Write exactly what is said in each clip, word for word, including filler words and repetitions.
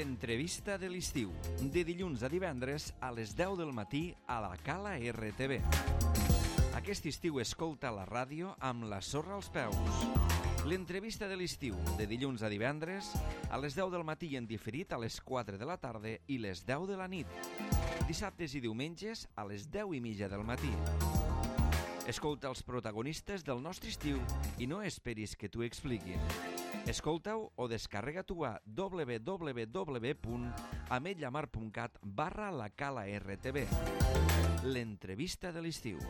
L'entrevista de l'estiu, de dilluns a divendres a les deu del matí a la Cala R T V. Aquest estiu escolta la ràdio amb la sorra als peus. L'entrevista de l'estiu, de dilluns a divendres a les deu del matí i en diferit a les quatre de la tarda i les deu de la nit. Dissabtes i diumenges a les deu i mitja del matí. Escolta els protagonistes del nostre estiu i no esperis que t'ho expliquin. Escolta-ho o descarrega-t'ho a w w w punt ametlllamar punt cat barra la Cala R T V. L'entrevista de l'estiu.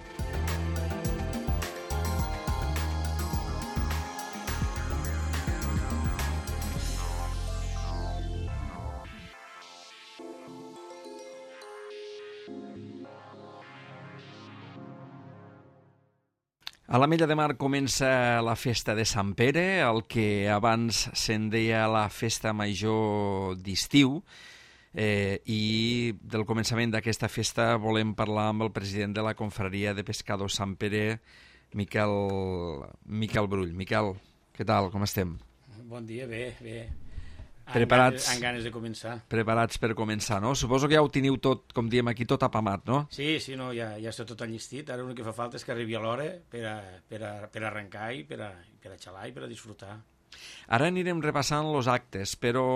A l'Ametlla de Mar comença la festa de Sant Pere, el que abans se'n deia la festa major d'estiu, eh, i del començament d'aquesta festa volem parlar amb el president de la Confraria de Pescadors Sant Pere, Miquel, Miquel Brull. Miquel, què tal, com estem? Bon dia, bé, bé. Preparats, amb ganes de començar. Preparats per començar, no? Suposo que ja ho teniu tot, com diem aquí, tot apamat, no? Sí, sí, no, ja, ja està tot enllestit. Ara l'únic que fa falta és que arribi a l'hora per, a, per, a, per arrencar i per a, per a xalar i per a disfrutar. Ara anirem repassant els actes, però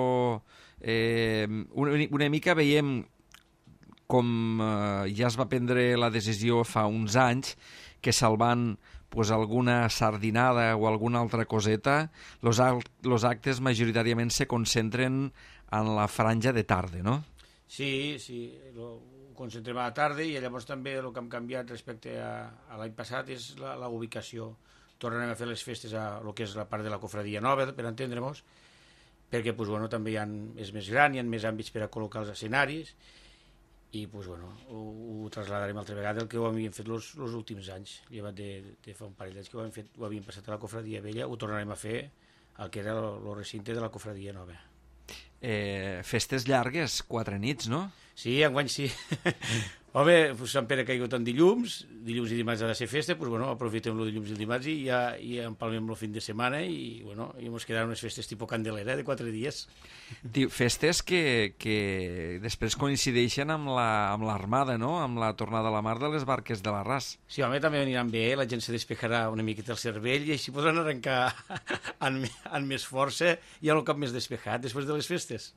eh, una, una mica veiem com eh, ja es va prendre la decisió fa uns anys que salvant pues, alguna sardinada o alguna altra coseta, los, los actes majoritàriament se concentren en la franja de tarda, no? Sí, sí, lo concentrem a la tarda i llavors també el que hem canviat respecte a, a l'any passat és la, la ubicació. Tornarem a fer les festes a lo que és la part de la cofradia nova, per entendre-nos, perquè pues, bueno, també hi ha, és més gran, hi ha més àmbits per a col·locar els escenaris, i pues, bueno, ho, ho trasladarem altra vegada el que ho havíem fet els últims anys, llevat de, de fa un parell d'anys que ho havíem, fet, ho havíem passat a la cofradia vella, ho tornarem a fer el que era el recinte de la cofradia nova. Eh, festes llargues, quatre nits, no? Sí, enguany sí. Home, pues, Sant Pere ha caigut en dilluns, dilluns i dimarts ha de ser festa, pues, bueno, aprofitem el dilluns i el dimarts i ja i empalmem el fin de setmana i, bueno, i ens quedaran unes festes tipus Candelera de quatre dies. Festes que, que després coincideixen amb l'Armada, la, no? Amb la tornada a la mar de les barques de l'Arràs. Sí, home, també aniran bé, la gent se despejarà una miqueta el cervell i així podran arrencar amb, amb més força i amb el cap més despejat després de les festes.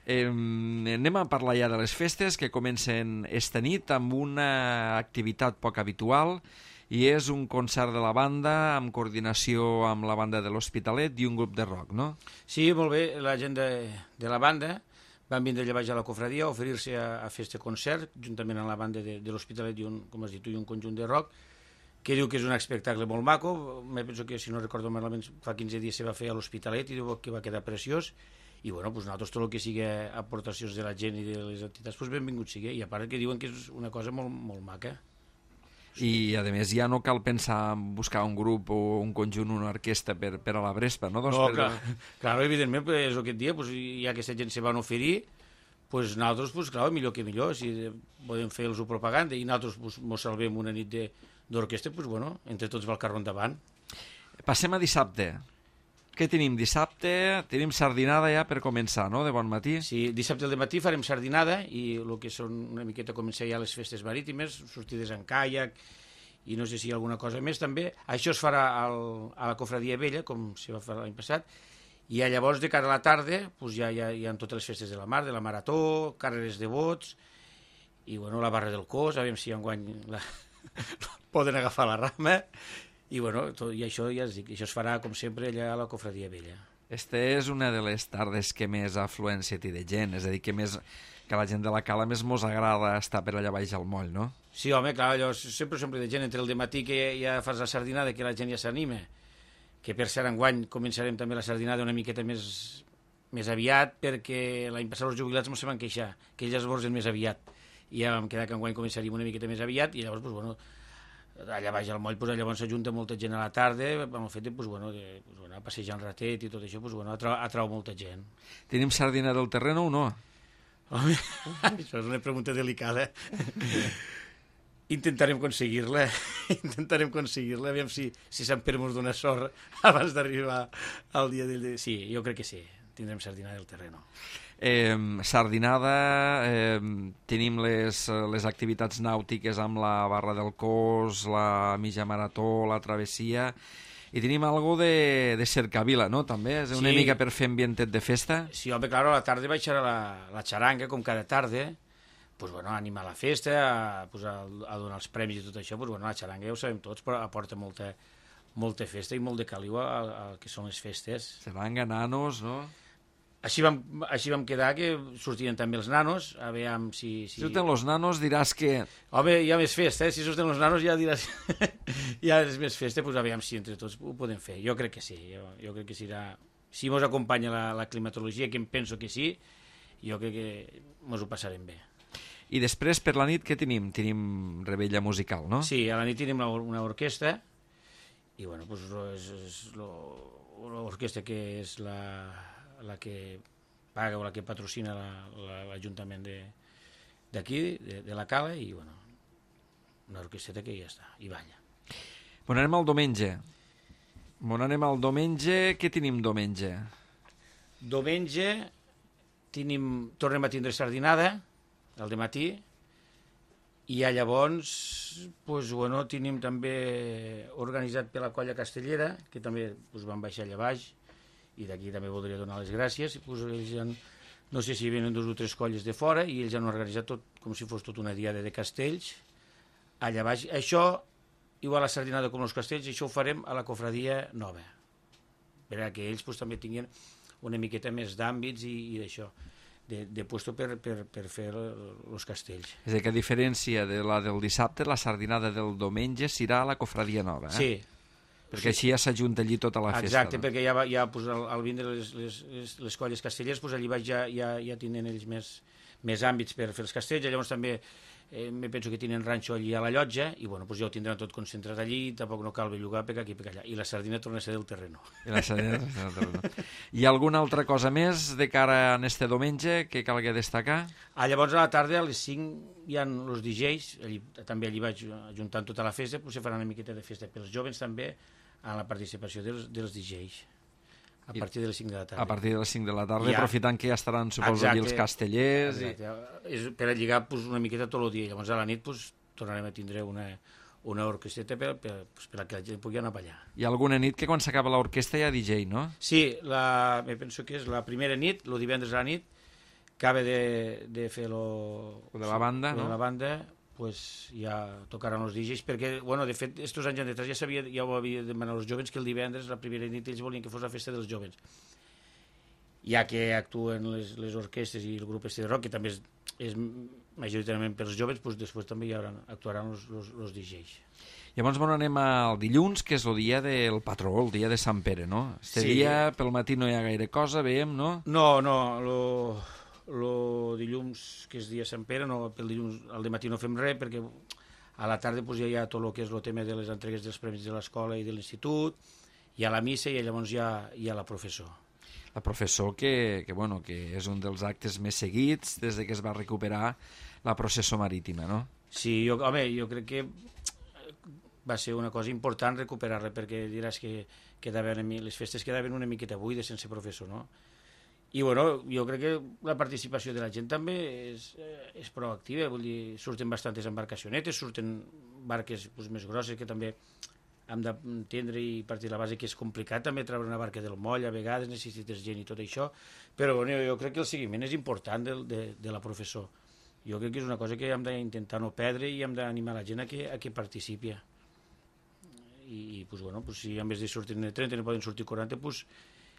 Eh, anem a parlar ja de les festes que comencen esta nit amb una activitat poc habitual i és un concert de la banda amb coordinació amb la banda de l'Hospitalet i un grup de rock, no? Sí, molt bé, la gent de, de la banda van vindre allà baix a la cofradia a oferir-se a, a fer este concert juntament amb la banda de, de l'Hospitalet i un, com has dit tu, i un conjunt de rock que diu que és un espectacle molt maco. Me penso que, si no recordo malament, fa quinze dies se va fer a l'Hospitalet i diu que va quedar preciós. I bueno, pues nosaltres tot el que sigui aportacions de la gent i de les entitats, pues benvingut sigui. I a part que diuen que és una cosa molt, molt maca. I a més ja no cal pensar en buscar un grup o un conjunt, una orquestra per, per a la Brespa, no? Doncs no, per... clar, clar, evidentment, pues, és el que et dia, pues, ja que aquesta gent se van oferir, pues nosaltres, pues, clar, millor que millor, si podem fer-los propaganda i nosaltres pues, mos salvem una nit d'orquestra, pues bueno, entre tots va el carro endavant. Passem a dissabte. Què tenim dissabte? Tenim sardinada ja per començar, no?, de bon matí. Sí, dissabte al matí farem sardinada i el que són una miqueta començar ja les festes marítimes, sortides en caiac i no sé si hi ha alguna cosa més també. Això es farà al, a la cofradia vella, com se va fer l'any passat, i llavors de cara a la tarda pues ja, ja hi ha totes les festes de la mar, de la marató, carreres de bots i bueno, la barra del cos, a veure si enguany la... poden agafar la rama. I, bueno, tot, i això ja es dic, això es farà, com sempre, allà a la cofradia vella. Esta és una de les tardes que més afluència té de gent, és a dir, que, més, que la gent de la Cala més mos agrada estar per allà baix al moll, no? Sí, home, clar, allò sempre sempre de gent, entre el dematí que ja fas la sardinada, que la gent ja s'anima, que per cert enguany començarem també la sardinada una miqueta més, més aviat, perquè l'any passat els jubilats mos se van queixar, que ells esborzen més aviat, i ja vam quedar que enguany començaríem una miqueta més aviat, i llavors, doncs, bueno, allà baix al moll, pues, llavors s'ajunta molta gent a la tarda, amb el fet de pues, bueno, de, pues, bueno, passejar un ratet i tot això, pues, bueno, atrau, atrau molta gent. Tenim sardina del terreno o no? Home, això és una pregunta delicada. Intentarem aconseguir-la, intentarem aconseguir-la, aviam si, si Sant Pere mos dona sort abans d'arribar al dia del... Sí, jo crec que sí, tindrem sardina del terreno. Eh, sardinada, eh, tenim les, les activitats nàutiques amb la barra del cos, la mitja marató, la travessia, i tenim algo de, de cercavila, no? També és una Sí. mica per fer ambientet de festa. Sí, home, claro, a la tarda baixarà la, la xaranga, com cada tarda, pues, bueno, a animar la festa, a, pues, a, a donar els premis i tot això, pues, bueno, la xaranga ja ho sabem tots, però aporta molta, molta festa i molt de caliu al, al que són les festes. Xaranga, nanos, no? Així vam, així vam quedar que sortien també els nanos, a veure si... si... Si surten los nanos diràs que... Home, hi ha més festa, eh? Si surten els nanos ja diràs... ja és més festa, doncs aviam si entre tots ho podem fer. Jo crec que sí, jo, jo crec que serà... Si mos acompanya la, la climatologia, que em penso que sí, jo crec que mos ho passarem bé. I després, per la nit, què tenim? Tenim rebella musical, no? Sí, a la nit tenim la, una orquestra, i bueno, doncs és, és l'orquestra que és la... la que paga o la que patrocina l'Ajuntament la, la, d'aquí, de, de la Cala, i bueno, una orquestreta que ja està, i balla. Bon, anem al diumenge. Bon, anem al diumenge. Què tenim diumenge? Diumenge tenim, tornem a tindre sardinada, al dematí, i ja llavors, pues, bueno, tenim també organitzat per la colla castellera, que també pues, van baixar allà baix, i d'aquí també voldria donar les gràcies. Pues, ells han, no sé si venen dos o tres colles de fora, i ells han organitzat tot com si fos tota una diada de castells allà baix. Això, igual la sardinada com els castells, això ho farem a la cofradia nova, perquè ells pues, també tinguin una miqueta més d'àmbits i, i d'això, de, de puesto per, per, per fer els castells. És a dir, que a diferència de la del dissabte, la sardinada del diumenge serà a la cofradia nova, eh? Sí. Perquè així ja s'ajunta allí tota la festa. Exacte, no? perquè ja, ja pues, al, al vindre les, les, les, les colles castellers, pues, allí baix ja, ja, ja tenen ells més, més àmbits per fer els castells, llavors també eh, me penso que tenen ranxo allí a la llotja, i bueno, pues, ja ho tindran tot concentrat allí, tampoc no cal bellugar per aquí per allà, i la sardina torna a ser del terreno. I la sardina del terreno. Hi ha alguna altra cosa més de cara a este diumenge que calgui destacar? Ah, llavors a la tarda, a les cinc, hi ha els D Js, allí, també allí vaig ajuntant tota la festa, pues, se farà una miqueta de festa pels jovens també, a la participació dels, dels D Js, a partir de les cinc de la tarda. A partir de les cinc de la tarda, Ja. aprofitant que ja estaran, suposo, Exacte. allí els castellers. Exacte. És per a lligar pues, una miqueta tot el dia. Llavors a la nit pues, tornarem a tindre una, una orquestreta per, per, pues, per a que la gent pugui anar a ballar. Hi ha alguna nit que quan s'acaba l'orquestra hi ha D J, no? Sí, la, me penso que és la primera nit, el divendres a la nit, acaba de, de fer lo, Lo de la banda, lo no? de la banda, pues ja tocaran els D Js, perquè, bueno, de fet, estos anys enrere ja, sabia, ja ho havia demanat als jovens que el divendres, la primera nit, ells volien que fos la festa dels jovens. Ja que actuen les, les orquestres i el grup este de rock, que també és, és majoritàriament pels jovens, pues després també hi haurà, actuaran els, els, els D Js. Llavors, bueno, anem al dilluns, que és el dia del patró, el dia de Sant Pere, no? Este Sí. dia, pel matí no hi ha gaire cosa, veiem, no? No, no, lo, lo dilluns, que és dia Sant Pere, no, pel dilluns al dematí no fem res, perquè a la tarda pues, ja hi ha tot el que és el tema de les entregues dels premis de l'escola i de l'institut, hi ha la missa i llavors hi ha, hi ha la professor. La professor, que, que, bueno, que és un dels actes més seguits des de que es va recuperar la processó marítima, no? Sí, jo, home, jo crec que va ser una cosa important recuperar-la, perquè diràs que quedaven, les festes quedaven una miqueta buides sense professor, no? I bueno, jo crec que la participació de la gent també és, és proactiva, vull dir, surten bastantes embarcacionetes, surten barques pues, més grosses que també hem d'entendre i partir de la base que és complicat també treure una barca del moll, a vegades necessites gent i tot això, però bueno, jo crec que el seguiment és important de, de, de la professor. Jo crec que és una cosa que hem d'intentar no perdre i hem d'animar la gent a que, a que participi. I, i pues, bueno, pues, si en vez de sortir trenta no poden sortir quaranta, pues,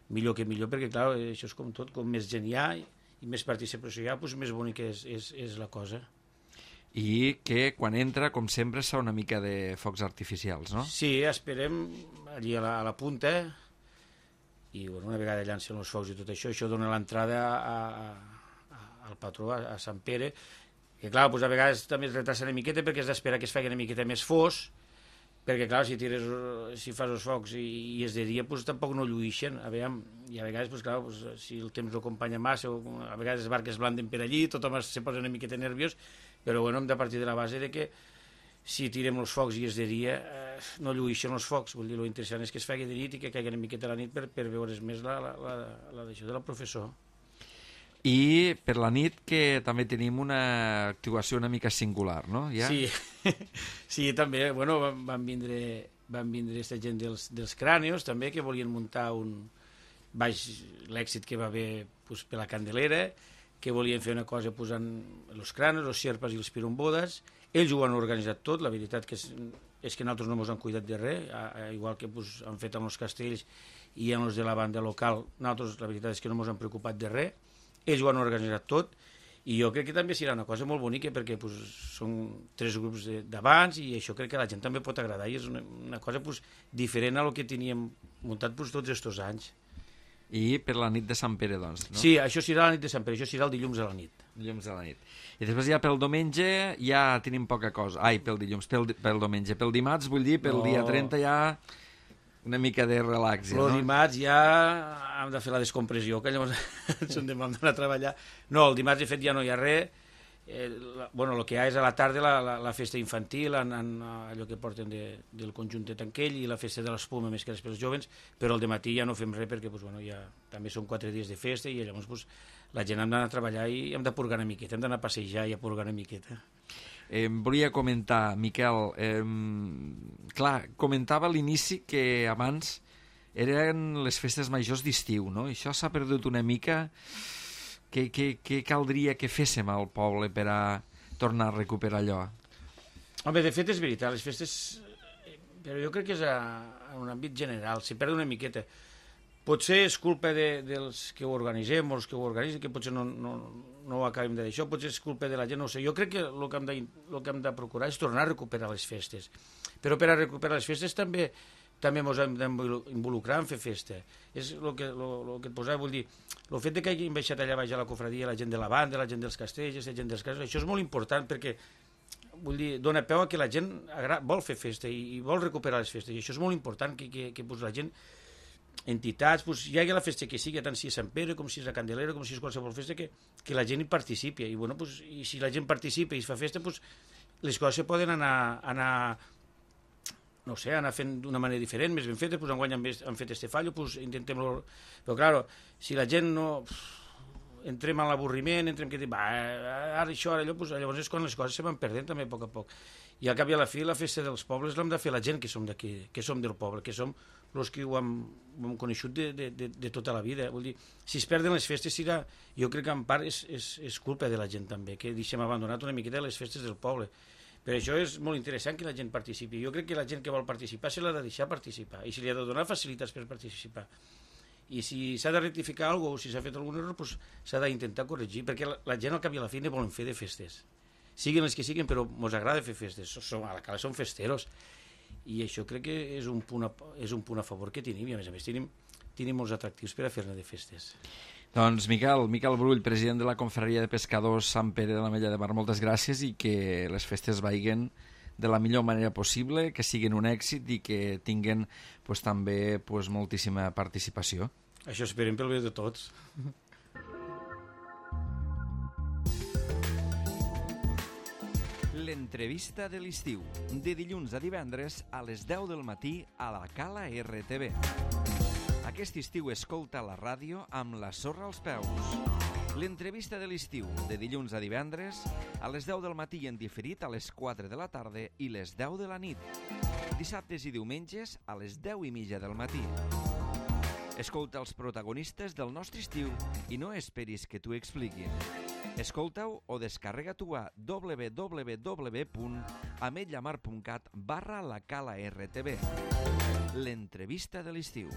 millor que millor, perquè clar, això és com tot, com més gent hi ha i més participació hi ha, pues, més bonica és, és, és la cosa. I que quan entra, com sempre, s'ha una mica de focs artificials, no? Sí, esperem allí a la, a la punta i bueno, una vegada llancen els focs i tot això, això dona l'entrada a, a, al patró, a, a Sant Pere, que clar, pues, a vegades també es retrasa una miqueta perquè has d'esperar que es faci una miqueta més fos, perquè clar, si tires, si fas els focs i, i és de dia, pues, tampoc no lluïxen, a veure, i a vegades, pues, clar, pues, si el temps no acompanya massa, o a vegades les barques blanden per allí, tothom se posa una miqueta nerviós, però bueno, hem de partir de la base de que si tirem els focs i és de dia, eh, no lluïxen els focs, vull dir, lo interessant és que es faci de nit i que caigui una miqueta a la nit per, per veure's més la, la, la, la d'això de la professor. I per la nit que també tenim una actuació una mica singular, no? Ja? Sí, sí, també, bueno, van, van vindre van vindre aquesta gent dels, dels crànios també, que volien muntar un baix l'èxit que va haver pues, per la Candelera, que volien fer una cosa posant els crànios, els xerpes i els pirombodes. Ells ho han organitzat tot, la veritat que és, és que nosaltres no ens han cuidat de res, igual que pues, han fet amb els castells i amb els de la banda local, nosaltres la veritat és que no ens han preocupat de res. Ells ho han organitzat tot i jo crec que també serà una cosa molt bonica perquè pues, són tres grups d'abans i això crec que a la gent també pot agradar i és una, una cosa pues, diferent a lo que teníem muntat pues, tots aquests anys. I per la nit de Sant Pere, doncs, no? Sí, això serà la nit de Sant Pere, això serà el dilluns a la nit. Dilluns a la nit. I després ja pel diumenge ja tenim poca cosa. Ai, pel dilluns, pel, pel diumenge. Pel dimarts, vull dir, pel no. dia trenta ja una mica de relax. Ja, el no? dimarts ja hem de fer la descompressió, que llavors ens hem d'anar a treballar. No, el dimarts, de fet, ja no hi ha res. Eh, la, bueno, el que hi ha és a la tarda la, la, la festa infantil, en, en, allò que porten de, del conjunt de Tanquell i la festa de l'espuma més que després els jovens, però al dematí ja no fem res perquè pues, bueno, ja, també són quatre dies de festa i llavors pues, la gent hem d'anar a treballar i hem de purgar una miqueta, hem d'anar a passejar i a purgar una miqueta. Eh, volia comentar, Miquel, eh, clar, comentava a l'inici que abans eren les festes majors d'estiu, no? Això s'ha perdut una mica. Què, què, què caldria que féssim al poble per a tornar a recuperar allò? Home, de fet és veritat, les festes... Però jo crec que és a, a un àmbit general, s'hi perd una miqueta. Potser és culpa de, dels que ho organitzem o els que ho organitzen, que potser no, no, no ho acabem de dir això, potser és culpa de la gent, no ho sé. Jo crec que el que hem de, el que hem de procurar és tornar a recuperar les festes. Però per a recuperar les festes també també ens hem d'involucrar en fer festa. És el que, lo, lo que et posava, vull dir, el fet de que hagin baixat allà baix a la cofradia la gent de la banda, la gent dels castells, la gent dels casos, això és molt important perquè vull dir, dona peu a que la gent vol fer festa i, i vol recuperar les festes, i això és molt important que, que, que pues, la gent, entitats, pues, hi hagi la festa que sigui, tant si és Sant Pere com si és la Candelera, com si és qualsevol festa, que, que la gent hi participi, i, bueno, pues, i si la gent participa i es fa festa, pues, les coses poden anar, anar no sé, anar fent d'una manera diferent, més ben feta, doncs enguany han, han fet este fallo, doncs intentem-lo... Però, clar, si la gent no... entrem en l'avorriment, entrem que... Va, ara això, ara allò, doncs, llavors és quan les coses se van perdent també a poc a poc. I al cap i a la fi, la festa dels pobles l'hem de fer la gent que som d'aquí, que som del poble, que som els que ho hem, ho hem coneixut de, de, de, de tota la vida. Vull dir, si es perden les festes, serà, jo crec que en part és, és, és culpa de la gent també, que deixem abandonat una miqueta les festes del poble. Per això és molt interessant que la gent participi. Jo crec que la gent que vol participar se l'ha de deixar participar i se li ha de donar facilitats per participar. I si s'ha de rectificar alguna cosa o si s'ha fet algun error, doncs s'ha d'intentar corregir, perquè la, la gent al cap i a la fi ne volen fer de festes. Siguin les que siguin, però ens agrada fer festes. Som, a la cala som festeros. I això crec que és un punt a, és un punt a favor que tenim, i a més a més tenim, tenim molts atractius per a fer-ne de festes. Doncs Miquel, Miquel Brull, president de la Confraria de Pescadors Sant Pere de l'Ametlla de Mar, moltes gràcies i que les festes vagin de la millor manera possible, que siguin un èxit i que tinguin pues, també pues, moltíssima participació. Això esperem pel bé de tots. L'entrevista de l'estiu, de dilluns a divendres a les deu del matí a la Cala R T V. Aquest estiu escolta la ràdio amb la sorra als peus. L'entrevista de l'estiu, de dilluns a divendres, a les deu del matí en diferit a les quatre de la tarda i les deu de la nit. Dissabtes i diumenges a les deu i mitja del matí. Escolta els protagonistes del nostre estiu i no esperis que t'ho expliquin. Escolta-ho o descarrega-t'ho a w w w punt ametllamar punt cat barra la cala R T V. L'entrevista de l'estiu.